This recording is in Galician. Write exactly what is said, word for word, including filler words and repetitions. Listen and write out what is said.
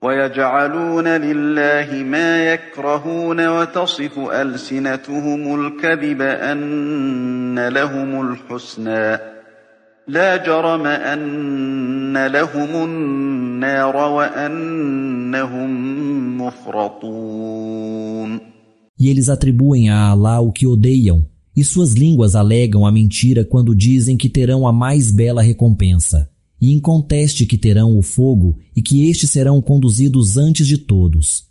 ويجعلون لله ما يكرهون وتصف ألسنتهم الكذب أن لهم الحسنى لا جرم أن لهم النار وأنهم مفرطون. E eles atribuem a Alá o que odeiam, e suas línguas alegam a mentira quando dizem que terão a mais bela recompensa, e inconteste que terão o fogo e que estes serão conduzidos antes de todos.